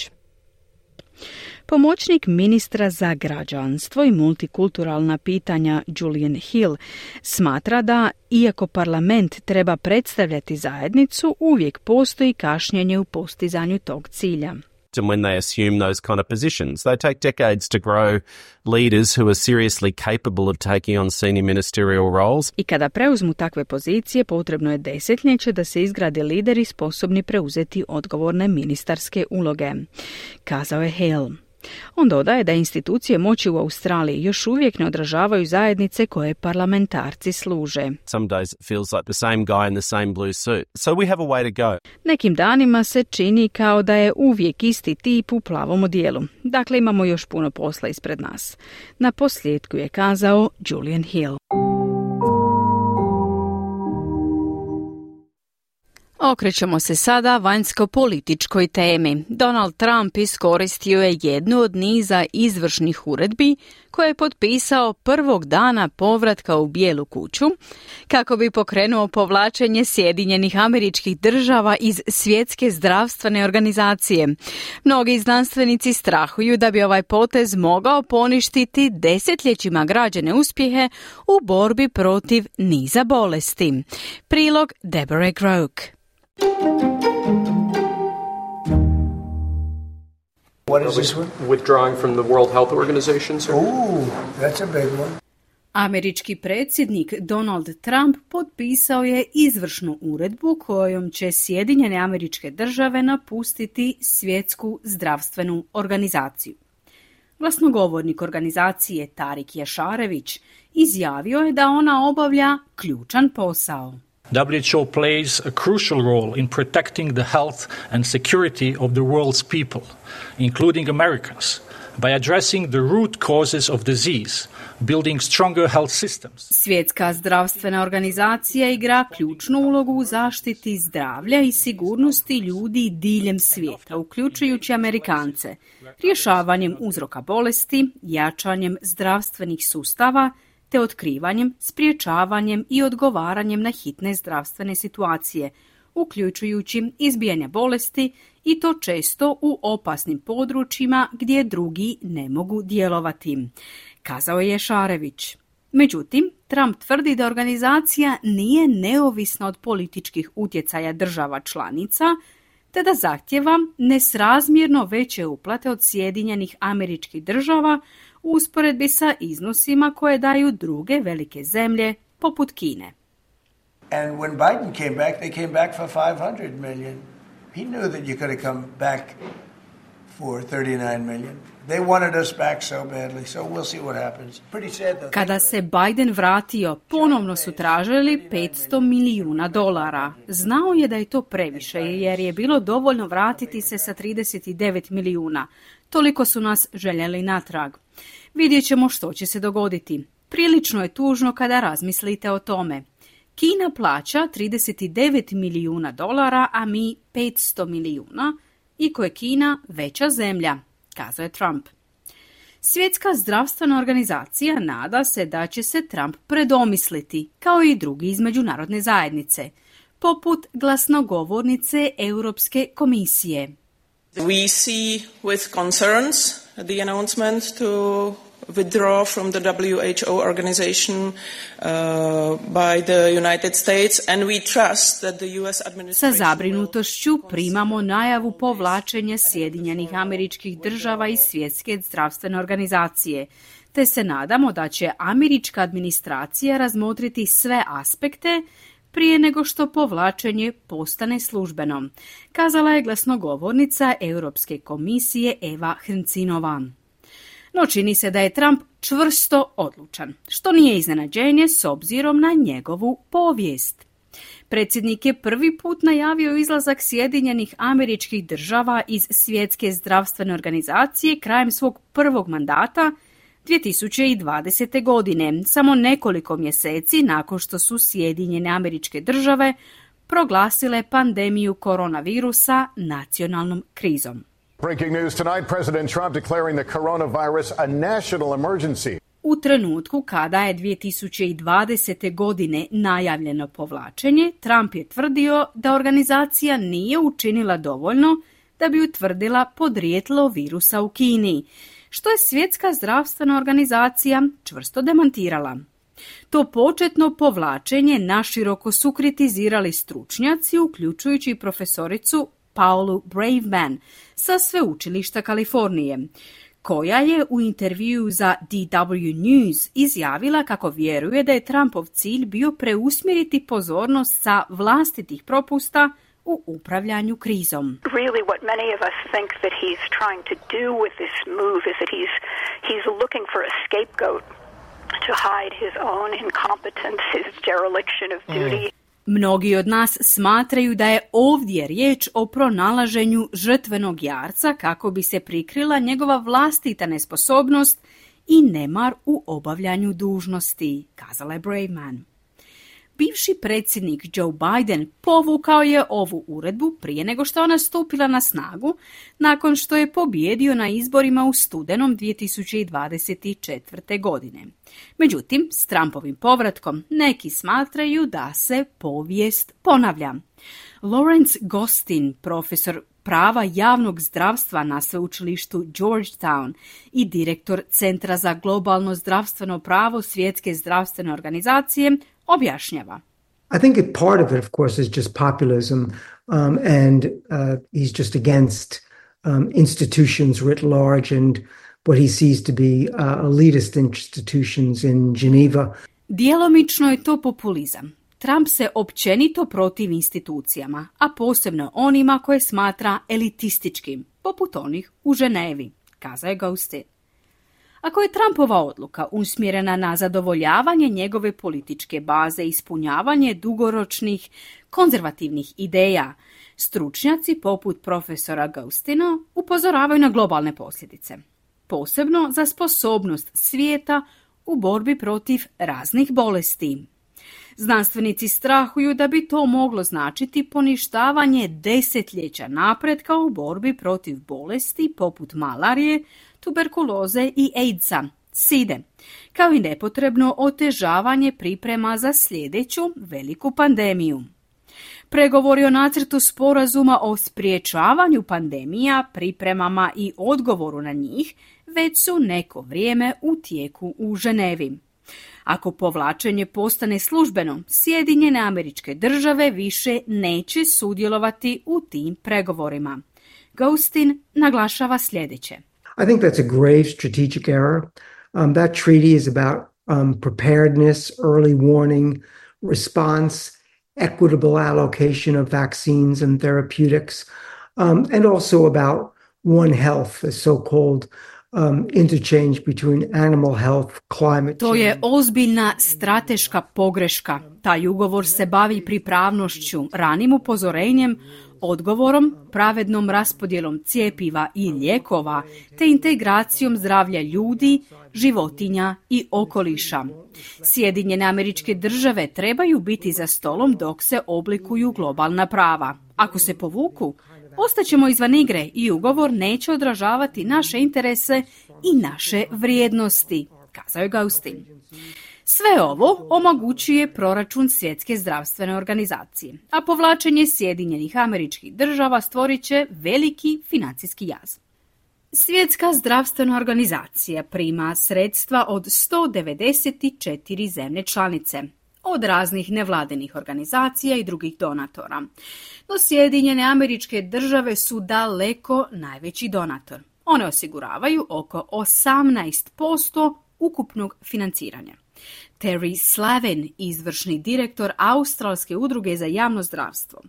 Pomoćnik ministra za građanstvo i multikulturalna pitanja Julian Hill smatra da, iako parlament treba predstavljati zajednicu, uvijek postoji kašnjenje u postizanju tog cilja. And when they assume those kind of positions, they take decades to grow leaders who are seriously capable of taking on senior ministerial roles. I kada preuzmu takve pozicije, potrebno je desetljeće da se izgrade lideri sposobni preuzeti odgovorne ministarske uloge, kazao je Hale. On dodaje da institucije moći u Australiji još uvijek ne odražavaju zajednice koje parlamentarci služe. Some days it feels like the same guy in the same blue suit. So we have a way to go. Nekim danima se čini kao da je uvijek isti tip u plavom odijelu. Dakle, imamo još puno posla ispred nas. Na posljedku je kazao Julian Hill. Okrećemo se sada vanjsko-političkoj temi. Donald Trump iskoristio je jednu od niza izvršnih uredbi koje je potpisao prvog dana povratka u Bijelu kuću kako bi pokrenuo povlačenje Sjedinjenih Američkih Država iz Svjetske zdravstvene organizacije. Mnogi znanstvenici strahuju da bi ovaj potez mogao poništiti desetljećima građene uspjehe u borbi protiv niza bolesti. Prilog Deborah Groke. What is this one? Withdrawing from the World Health Organization, sir? Ooh, that's a big one. Američki predsjednik Donald Trump potpisao je izvršnu uredbu kojom će Sjedinjene Američke Države napustiti Svjetsku zdravstvenu organizaciju. Glasnogovornik organizacije Tarik Jašarević izjavio je da ona obavlja ključan posao. W H O plays a crucial role in protecting the health and security of the world's people, including Americans, by addressing the root causes of disease, building stronger health systems. Svjetska zdravstvena organizacija igra ključnu ulogu u zaštiti zdravlja i sigurnosti ljudi diljem svijeta, uključujući Amerikance, rješavanjem uzroka bolesti, jačanjem zdravstvenih sustava, te otkrivanjem, spriječavanjem i odgovaranjem na hitne zdravstvene situacije, uključujući izbijanje bolesti i to često u opasnim područjima gdje drugi ne mogu djelovati, kazao je Šarević. Međutim, Trump tvrdi da organizacija nije neovisna od političkih utjecaja država članica, te da zahtjeva nesrazmjerno veće uplate od Sjedinjenih Američkih Država u usporedbi sa iznosima koje daju druge velike zemlje poput Kine. And when Biden came back, they came back for five hundred million. He knew that you could have come back for thirty-nine million. They wanted us back so badly, so we'll see what happens. Pretty sad though. Kada se Biden vratio, ponovno su tražili petsto milijuna dolara. Znao je da je to previše, jer je bilo dovoljno vratiti se sa trideset devet milijuna. Toliko su nas željeli natrag. Vidjet ćemo što će se dogoditi. Prilično je tužno kada razmislite o tome. Kina plaća trideset devet milijuna dolara, a mi petsto milijuna, iako je Kina veća zemlja, kazao je Trump. Svjetska zdravstvena organizacija nada se da će se Trump predomisliti, kao i drugi iz međunarodne zajednice, poput glasnogovornice Europske komisije. We see with concerns the announcement to withdraw from the W H O organization uh, by the United States, and we trust that the U S administration... Sa zabrinutošću primamo najavu povlačenja Sjedinjenih Američkih Država iz Svjetske zdravstvene organizacije, te se nadamo da će američka administracija razmotriti sve aspekte prije nego što povlačenje postane službeno, kazala je glasnogovornica Europske komisije Eva Hrncinova. No čini se da je Trump čvrsto odlučan, što nije iznenađenje s obzirom na njegovu povijest. Predsjednik je prvi put najavio izlazak Sjedinjenih Američkih Država iz Svjetske zdravstvene organizacije krajem svog prvog mandata dvije tisuće dvadesete. godine, samo nekoliko mjeseci nakon što su Sjedinjene Američke Države proglasile pandemiju koronavirusa nacionalnom krizom. Breaking news tonight, President Trump declaring the coronavirus a national emergency. U trenutku kada je dvije tisuće dvadesete. godine najavljeno povlačenje, Trump je tvrdio da organizacija nije učinila dovoljno da bi utvrdila podrijetlo virusa u Kini, što je Svjetska zdravstvena organizacija čvrsto demantirala. To početno povlačenje naširoko su kritizirali stručnjaci, uključujući profesoricu Paulu Braverman sa Sveučilišta Kalifornije, koja je u intervjuu za D W News izjavila kako vjeruje da je Trumpov cilj bio preusmjeriti pozornost sa vlastitih propusta u upravljanju krizom. Really what many of us think that he's trying to do with this move is that he's he's looking for a scapegoat to hide his own incompetence, his dereliction of duty. Mnogi od nas smatraju da je ovdje riječ o pronalaženju žrtvenog jarca kako bi se prikrila njegova vlastita nesposobnost i nemar u obavljanju dužnosti, kazala je Braverman. Bivši predsjednik Joe Biden povukao je ovu uredbu prije nego što je ona stupila na snagu, nakon što je pobijedio na izborima u studenom dvije tisuće dvadeset četvrte. godine. Međutim, s Trumpovim povratkom neki smatraju da se povijest ponavlja. Lawrence Gostin, profesor prava javnog zdravstva na sveučilištu Georgetown i direktor Centra za globalno zdravstveno pravo Svjetske zdravstvene organizacije, objašnjava. I think a part of it, of course, is just populism, um, and uh, he's just against um, institutions writ large and what he sees to be uh, elitist institutions in Geneva. Djelomično je to populizam. Trump se općenito protivi institucijama, a posebno onima koje smatra elitističkim, poput onih u Ženevi, kazao je Gostin. Ako je Trumpova odluka usmjerena na zadovoljavanje njegove političke baze i ispunjavanje dugoročnih konzervativnih ideja, stručnjaci poput profesora Gostina upozoravaju na globalne posljedice, posebno za sposobnost svijeta u borbi protiv raznih bolesti. Znanstvenici strahuju da bi to moglo značiti poništavanje desetljeća napretka u borbi protiv bolesti poput malarije, tuberkuloze i AIDS-a, side, kao i nepotrebno otežavanje priprema za sljedeću veliku pandemiju. Pregovori o nacrtu sporazuma o spriječavanju pandemija, pripremama i odgovoru na njih već su neko vrijeme u tijeku u Ženevi. Ako povlačenje postane službeno, Sjedinjene Američke Države više neće sudjelovati u tim pregovorima. Gostin naglašava sljedeće. I think that's a grave strategic error. Um, that treaty is about um, preparedness, early warning, response, equitable allocation of vaccines and therapeutics, um, and also about One Health, a so-called um, interchange between animal health, climate change. To je ozbiljna strateška pogreška. Taj ugovor se bavi pripravnošću, ranim upozorenjem, odgovorom, pravednom raspodjelom cjepiva i lijekova, te integracijom zdravlja ljudi, životinja i okoliša. Sjedinjene Američke Države trebaju biti za stolom dok se oblikuju globalna prava. Ako se povuku, ostaćemo izvan igre i ugovor neće odražavati naše interese i naše vrijednosti, kazao je Gostin. Sve ovo omogućuje proračun Svjetske zdravstvene organizacije, a povlačenje Sjedinjenih Američkih Država stvorit će veliki financijski jaz. Svjetska zdravstvena organizacija prima sredstva od sto devedeset četiri zemlje članice, od raznih nevladinih organizacija i drugih donatora. No Sjedinjene Američke Države su daleko najveći donator. One osiguravaju oko osamnaest posto ukupnog financiranja. Terry Slavin, izvršni direktor Australske udruge za javno zdravstvo,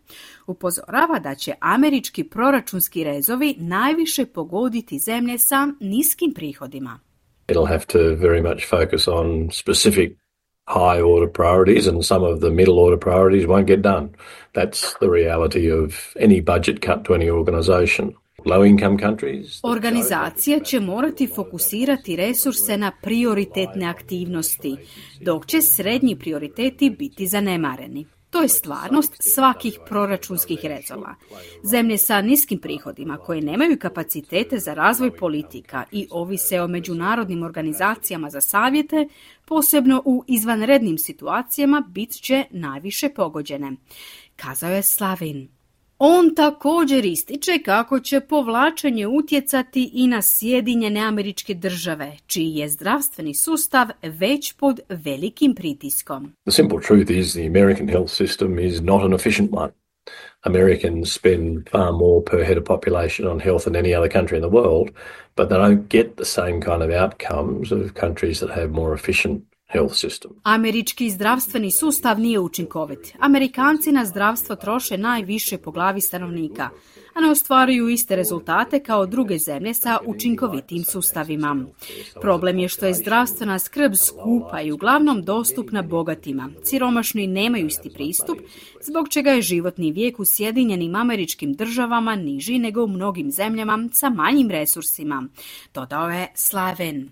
upozorava da će američki proračunski rezovi najviše pogoditi zemlje sa niskim prihodima. It'll have to very much focus on specific high order priorities, and some of the middle order priorities won't get done. That's the reality of any budget cut to any organization. Organizacija će morati fokusirati resurse na prioritetne aktivnosti, dok će srednji prioriteti biti zanemareni. To je stvarnost svakih proračunskih rezova. Zemlje sa niskim prihodima koje nemaju kapacitete za razvoj politika i ovise o međunarodnim organizacijama za savjete, posebno u izvanrednim situacijama, bit će najviše pogođene, kazao je Slavin. On također ističe kako će povlačenje utjecati i na Sjedinjene Američke Države, čiji je zdravstveni sustav već pod velikim pritiskom. The simple truth is the American health system is not an efficient one. Americans spend far more per head of population on health than any other country in the world, but they don't get the same kind of outcomes of countries that have more efficient health system. Američki zdravstveni sustav nije učinkovit. Amerikanci na zdravstvo troše najviše po glavi stanovnika, a ne ostvaruju iste rezultate kao druge zemlje sa učinkovitim sustavima. Problem je što je zdravstvena skrb skupa i uglavnom dostupna bogatima. Siromašni nemaju isti pristup, zbog čega je životni vijek u Sjedinjenim Američkim Državama niži nego u mnogim zemljama sa manjim resursima, dodao je Slaven.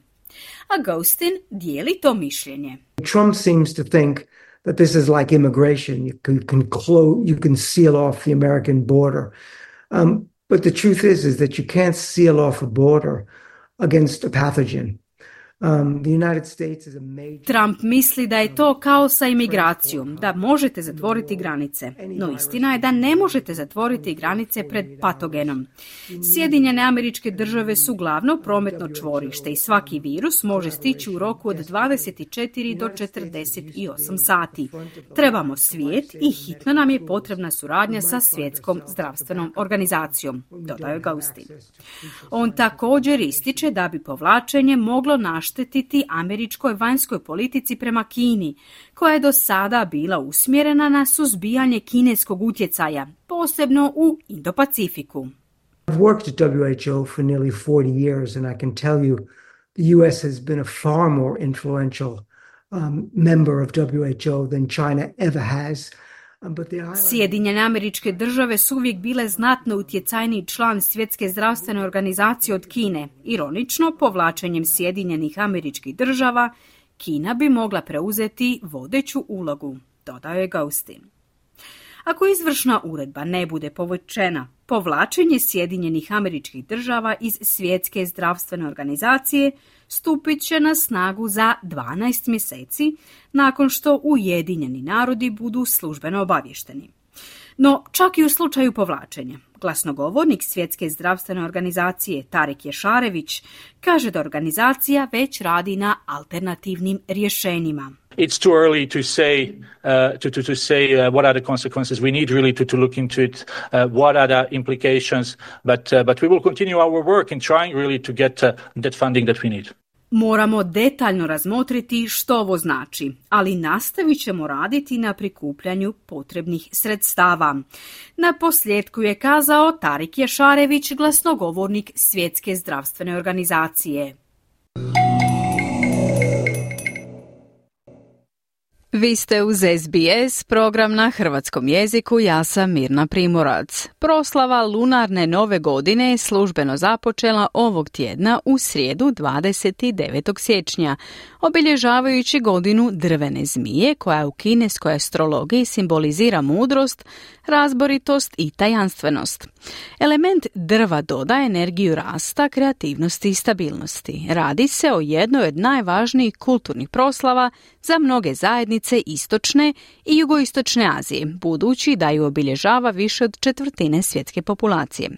A Ghostin dijeli to mišljenje. Trump seems to think that this is like immigration. You can, you can, close, you can seal off the American border. Um, but the truth is, is that you can't seal off a border against a pathogen. Um, the United States is a major... Trump misli da je to kao sa imigracijom, da možete zatvoriti granice. No istina je da ne možete zatvoriti granice pred patogenom. Sjedinjene Američke Države su glavno prometno čvorište i svaki virus može stići u roku od dvadeset četiri do četrdeset osam sati. Trebamo svijet i hitno nam je potrebna suradnja sa Svjetskom zdravstvenom organizacijom, dodao Ghostin. On također ističe da bi povlačenje moglo naštetiti štetiti američkoj vanjskoj politici prema Kini, koja je do sada bila usmjerena na suzbijanje kineskog utjecaja, posebno u Indo-Pacifiku. I've worked at W H O for nearly forty years and I can tell you the U S has been a far more influential um, member of W H O than China ever has. Sjedinjene Američke Države su uvijek bile znatno utjecajniji član Svjetske zdravstvene organizacije od Kine. Ironično, povlačenjem Sjedinjenih Američkih Država, Kina bi mogla preuzeti vodeću ulogu, dodao je Ghostin. Ako izvršna uredba ne bude povučena, povlačenje Sjedinjenih Američkih Država iz Svjetske zdravstvene organizacije stupit će na snagu za dvanaest mjeseci nakon što Ujedinjeni narodi budu službeno obavješteni. No, čak i u slučaju povlačenja, glasnogovornik Svjetske zdravstvene organizacije Tarek Ješarević kaže da organizacija već radi na alternativnim rješenjima. It's too early to say uh, to to to say uh, what are the consequences. We need really to to look into it. Uh, what are the implications? But uh, but we will continue our work in trying really to get uh, that funding that we need. Moramo detaljno razmotriti što ovo znači, ali nastavit ćemo raditi na prikupljanju potrebnih sredstava. Na posljedku je kazao Tarik Ješarević, glasnogovornik Svjetske zdravstvene organizacije. Vi ste uz S B S, program na hrvatskom jeziku, ja sam Mirna Primorac. Proslava lunarne nove godine je službeno započela ovog tjedna u srijedu dvadeset devetog siječnja, obilježavajući godinu drvene zmije koja u kineskoj astrologiji simbolizira mudrost, razboritost i tajanstvenost. Element drva dodaje energiju rasta, kreativnosti i stabilnosti. Radi se o jednoj od najvažnijih kulturnih proslava za mnoge zajednice istočne i jugoistočne Azije, budući da ju obilježava više od četvrtine svjetske populacije.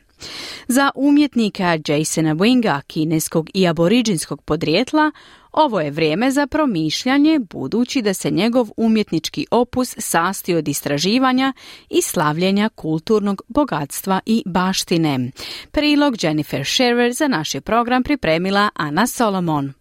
Za umjetnika Jasona Winga, kineskog i aboriđinskog podrijetla, ovo je vrijeme za promišljanje, budući da se njegov umjetnički opus sastoji od istraživanja i slavljenja kulturnog bogatstva i baštine. Prilog Jennifer Shearer za naš je program pripremila Ana Solomon.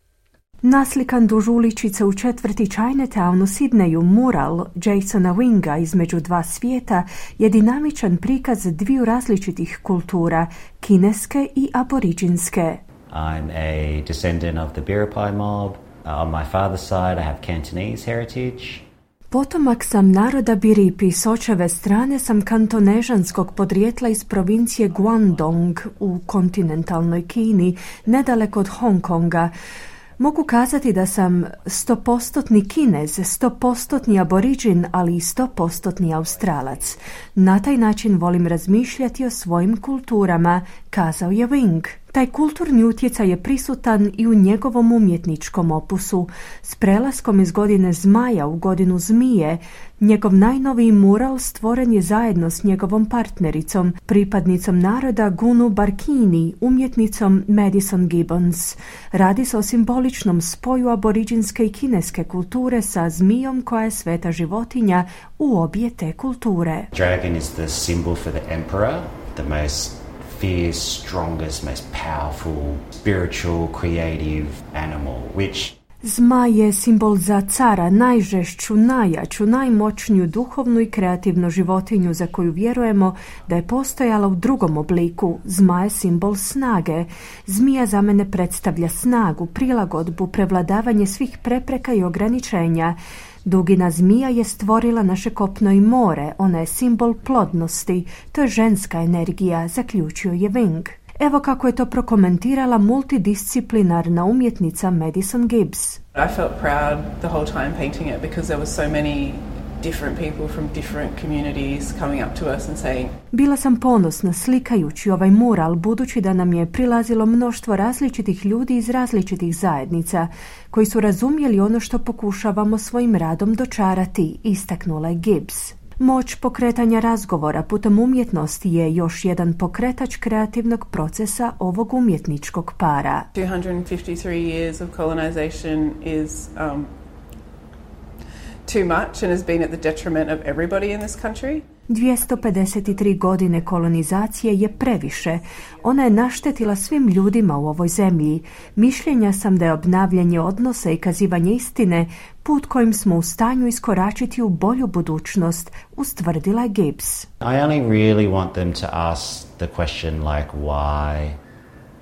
Naslikan duž uličice u četvrti Chinatown u Sidneju mural Jasona Winga između dva svijeta je dinamičan prikaz dviju različitih kultura, kineske i aboriđinske. I'm a descendant of the Biripi mob. Uh, on my father's side I have Cantonese heritage. Potomak sam naroda Biripi, s očeve strane sam kantonežanskog podrijetla iz provincije Guangdong u kontinentalnoj Kini, nedaleko od Hong Konga. Mogu kazati da sam stopostotni Kinez, stopostotni aboriđin, ali i stopostotni Australac. Na taj način volim razmišljati o svojim kulturama, kazao je Wing. Taj kulturni utjecaj je prisutan i u njegovom umjetničkom opusu. S prelaskom iz godine zmaja u godinu zmije, njegov najnoviji mural stvoren je zajedno s njegovom partnericom, pripadnicom naroda Gunu Barkini, umjetnicom Madison Gibbons. Radi se o simboličnom spoju aboriđinske i kineske kulture sa zmijom koja je sveta životinja u obje te kulture. Dragon is the symbol for the emperor, the most fierce, strongest, most powerful, spiritual, creative animal, which Zmaj je simbol za cara, najžešću, najjaču, najmoćniju duhovnu i kreativnu životinju za koju vjerujemo da je postojala u drugom obliku. Zmaj je simbol snage. Zmija za mene predstavlja snagu, prilagodbu, prevladavanje svih prepreka i ograničenja. Dugina zmija je stvorila naše kopno i more, ona je simbol plodnosti, to je ženska energija, zaključio je Wing. Evo kako je to prokomentirala multidisciplinarna umjetnica Madison Gibbs. I felt proud the whole time painting it because there was so many different people from different communities coming up to us and saying. Bila sam ponosna slikajući ovaj mural budući da nam je prilazilo mnoštvo različitih ljudi iz različitih zajednica koji su razumjeli ono što pokušavamo svojim radom dočarati, istaknula je Gibbs. Moć pokretanja razgovora putem umjetnosti je još jedan pokretač kreativnog procesa ovog umjetničkog para. two hundred fifty-three years of colonization is um, too much and has been at the detriment of everybody in this country. dvjesto pedeset tri godine kolonizacije je previše. Ona je naštetila svim ljudima u ovoj zemlji. Mišljenja sam da je obnavljanje odnosa i kazivanje istine put kojim smo u stanju iskoračiti u bolju budućnost, ustvrdila je Gibbs. I only really want them to ask the question like why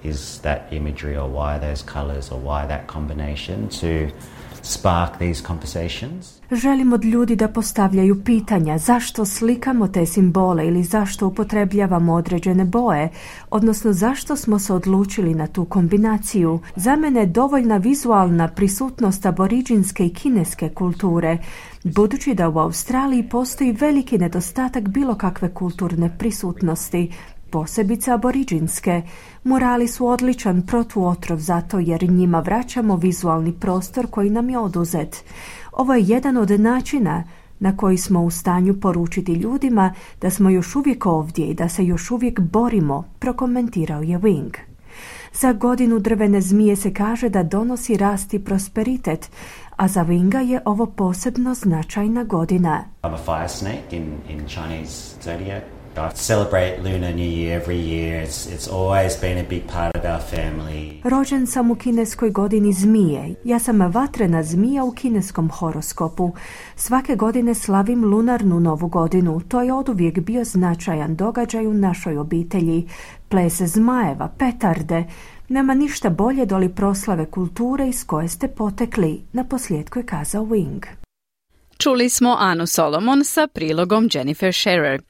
is that imagery or why those colors or why that combination to spark these conversations. Želim od ljudi da postavljaju pitanja zašto slikamo te simbole ili zašto upotrebljavamo određene boje, odnosno zašto smo se odlučili na tu kombinaciju. Za mene je dovoljna vizualna prisutnost aboriđinske i kineske kulture, budući da u Australiji postoji veliki nedostatak bilo kakve kulturne prisutnosti, posebice aboriđinske. Murali su odličan protuotrov zato jer njima vraćamo vizualni prostor koji nam je oduzet. Ovo je jedan od načina na koji smo u stanju poručiti ljudima da smo još uvijek ovdje i da se još uvijek borimo, prokomentirao je Wing. Za godinu drvene zmije se kaže da donosi rast i prosperitet, a za Winga je ovo posebno značajna godina. I'm a fire snake in, in Chinese zodiac. I celebrate Lunar New Year every year. It's, it's always been a big part of our family. Rođen sam u kineskoj godini zmije. Ja sam vatrena zmija u kineskom horoskopu. Svake godine slavim lunarnu novu godinu. To je oduvijek bio značajan događaj u našoj obitelji. Ples zmajeva, petarde. Nema ništa bolje doli proslave kulture iz koje ste potekli, naposljetku je kazao Wing. Čuli smo Anu Solomon sa prilogom Jennifer Scherer.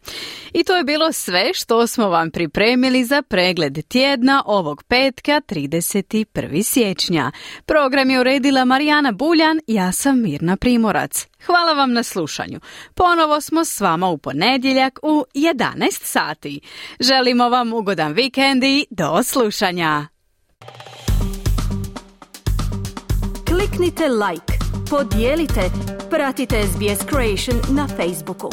I to je bilo sve što smo vam pripremili za pregled tjedna ovog petka trideset prvog siječnja. Program je uredila Marijana Buljan, ja sam Mirna Primorac. Hvala vam na slušanju. Ponovo smo s vama u ponedjeljak u jedanaest sati. Želimo vam ugodan vikend i do slušanja. Kliknite like, podijelite, pratite S B S Creation na Facebooku.